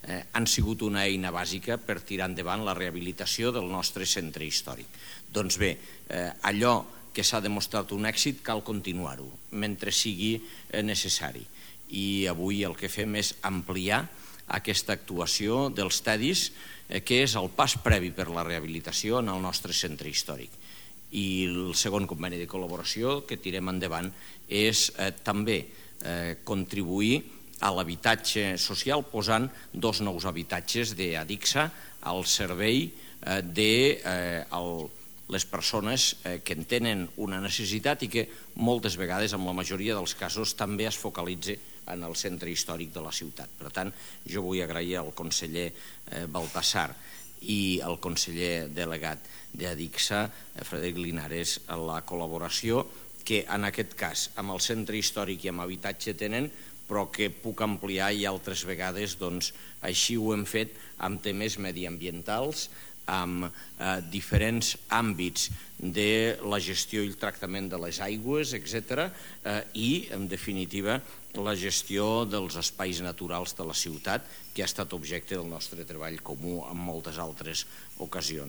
han sigut una eina bàsica per tirar endavant la rehabilitació del nostre centre històric. Doncs bé, allò que s'ha demostrat un èxit cal continuar-ho mentre sigui necessari. I avui el que fem és ampliar aquesta actuació dels tedis, que és el pas previ per la rehabilitació en el nostre centre històric. I el segon conveni de col·laboració que tirem endavant és també contribuir a l'habitatge social posant 2 nous habitatges d'Adixa al servei de les persones que en tenen una necessitat i que moltes vegades, en la majoria dels casos, també es focalitza en el centre històric de la ciutat. Per tant, jo vull agrair al conseller Baltasar i al conseller delegat d'Adixa, Frederic Linares, la col·laboració que en aquest cas amb el centre històric i amb habitatge tenen, però que puc ampliar i altres vegades així ho hem fet amb temes mediambientals, amb diferents àmbits de la gestió i el tractament de les aigües, etc. I, en definitiva, la gestió dels espais naturals de la ciutat, que ha estat objecte del nostre treball comú en moltes altres ocasions.